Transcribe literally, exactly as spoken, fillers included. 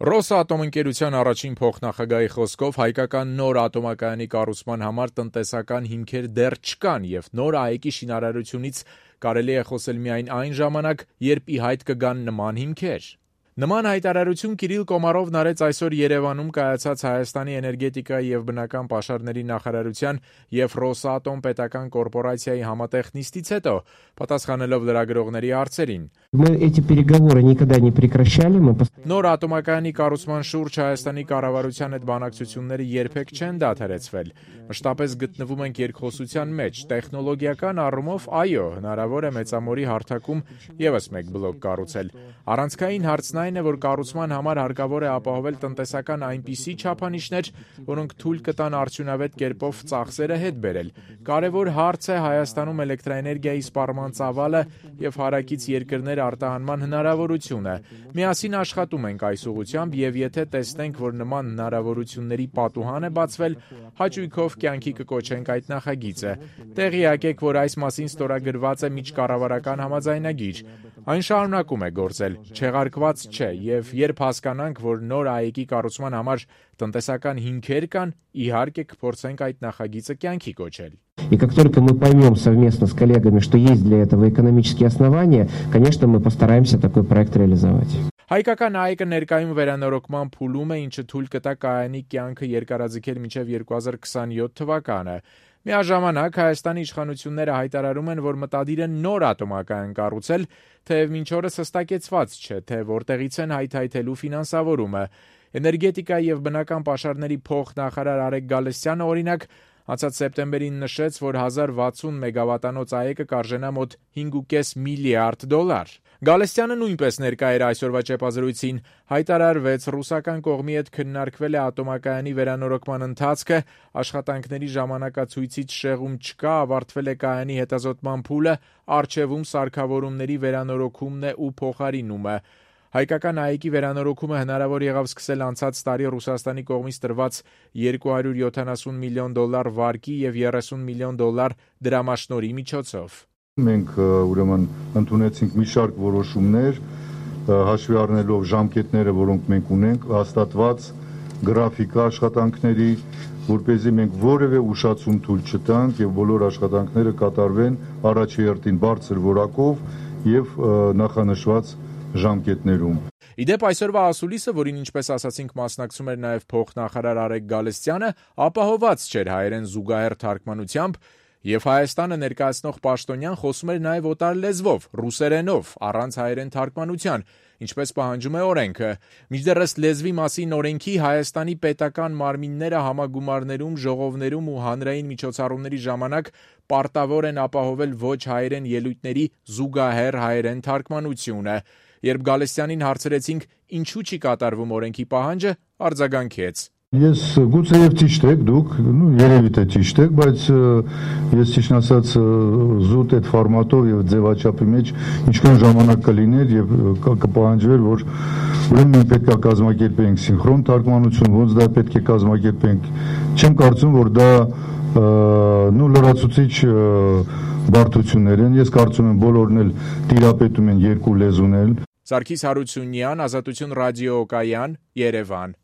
Ռոսատոմ ընկերության առաջին փոխնախագահի խոսքով հայկական նոր ատոմակայանի կառուցման համար տնտեսական հիմքեր դեռ չկան և նոր ԱԷԿ-ի շինարարությունից կարելի է խոսել միայն այն ժամանակ, երբ ի հայտ կգան նման հիմքեր։ Նման հայտարարություն Կիրիլ Կոմարովն արեց այսօր Երևանում կայացած Հայաստանի էներգետիկայի և բնական պաշարների նախարարության և Ռոսատոմ պետական կորպորացիայի համատեղ նիստից հետո, պատասխանելով լրագրողների հարցերին։ Նոր ատոմակայանի կառուցման շուրջ Հայաստանի կառավարության հետ բանակցությունները երբեք չեն դադարեցվել։ Մշտապես գտնվում ենք երկխոսության մեջ։ Տեխնոլոգիական առումով, այո, հնարավոր է Մեծամորի հարթակում ևս մեկ բլոկ կառուցել։ Առանցքային հարցն այն է, որ կառուցման համար հարկավոր է ապահովել տնտեսական այնպիսի չափանիշներ, որոնք թույլ կտան արդյունավետ կերպով ծախսերը հետ բերել։ Կարևոր հարց է Հայաստանում էլեկտրաէներգիայի սպառման ծավալը և հարակից երկրներ արտահանման հնարավորությունը։ Միասին աշխատում ենք այս ուղղությամբ և եթե տեսնենք, որ նման հնարավորությունների պատուհան է բացվել, հաճույքով կյանքի կկոչենք այդ նախագիծը։ Տեղյակ եք, որ այս մասին ստորագրված է միջկառավարական համաձայնագիր։ Այն շարունակում է գործել, չեղարկված չէ, և երբ հասկանանք, որ նոր ԱԵԿ-ի կառուցման համար տնտեսական հիմքեր կան, իհարկե կփորձենք այդ նախագիծը կյանքի կոչել։ И как только мы поймем совместно с коллегами, что есть для этого экономические основания, конечно, мы постараемся такой проект реализовать. Հայկական ԱԵԿ-ը ներկայում վերանորոգման փուլում է, ինչը թույլ կտա կայանի կյանքը երկարաձգել մինչև երկու հազար քսանյոթ թվականը։ Միաժամանակ Հայաստանի իշխանությունները հայտարարում են, որ մտադիր են նոր ատոմակայան կառուցել, թեև մինչ օրս հստակեցված չէ, թե որտեղից են հայթայթելու ֆինանսավորումը։ Էներգետիկայի և բնական պաշարների փոխնախարար Արեգ Գալստյանը, օրինակ, անցած սեպտեմբերին նշեց, որ հազար վաթսուն մեգավատանոց ԱԵԿ-ը կարժենա մոտ հինգ ու կես միլիարդ դոլար։ Գալստյանը նույնպես ներկա էր այսօրվա ճեպազրույցին, հայտարարվեց, ռուսական կողմի հետ քննարկվել է ատոմակայանի վերանորոգման ընթացքը, աշխատանքների ժամանակացույցից շեղում չկա, ավարտվել է կայանի հետազոտման փուլը, առջևում սարքավորումների վերանորոգումն է ու փոխարինումը։ Հայկական ԱԵԿ-ի վերանորոգումը հնարավոր եղավ սկսել անցած տարի Ռուսաստանի կողմից տրված երկու հարյուր յոթանասուն միլիոն դոլար վարկի և երեսուն միլիոն դոլար դրամաշնորհի միջոցով։ Մենք ուրեմն ընդունեցինք մի շարք որոշումներ, հաշվի առնելով ժամկետները, որոնք մենք ունենք, հաստատված գրաֆիկա աշխատանքների, որպեսզի մենք որևէ ուշացում թույլ չտանք և բոլոր աշխատանքները կատարվեն առաջի հերթին բարձր որակով և նախանշված ժամկետներում։ Իդեպ այսօրվա ասուլիսը, որին ինչպես ասացինք մասնակցում էր նաև փոխնախարար Արեգ Գալստյանը, ապահոված չէր հայերեն զուգահեռ թարգմանությամբ, և Հայաստանը ներկայացնող պաշտոնյան խոսում էր նաև օտար լեզվով, ռուսերենով, առանց հայերեն թարգմանության, ինչպես պահանջում է օրենքը։ Մինչդեռ ըստ լեզվի մասին օրենքի Հայաստանի պետական մարմինները համագումարներում, ժողովներում ու հանրային միջոցառումների ժամանակ պարտավոր են ապահովել ոչ հայերեն ելույթների զուգահեռ հայերեն թարգմանությունը։ Երբ Գալստյանին հարցրեցինք, ինչու չի կատարվում օրենքի պահանջը, արձագանքեց. Ես գուցե եւ ճիշտ եք դուք, նու երևի թե ճիշտ եք, բայց ես ճիշտ ասած զուտ այդ ֆորմատով եւ ձևաչափի մեջ ինչքան ժամանակ կլիներ եւ կպահանջվեր, որ ուրեմն մենք պետք է կազմակերպենք սինխրոն թարգմանություն, ոնց դա պետք է կազմակերպենք։ Չեմ կարծում, որ դա նու լրացուցիչ բարդություններ են։ Ես կարծում եմ բոլորն էլ տիրապետում են երկու լեզունել։ Սարգիս Հարությունյան, Ազատություն ռադիոկայան, Երևան։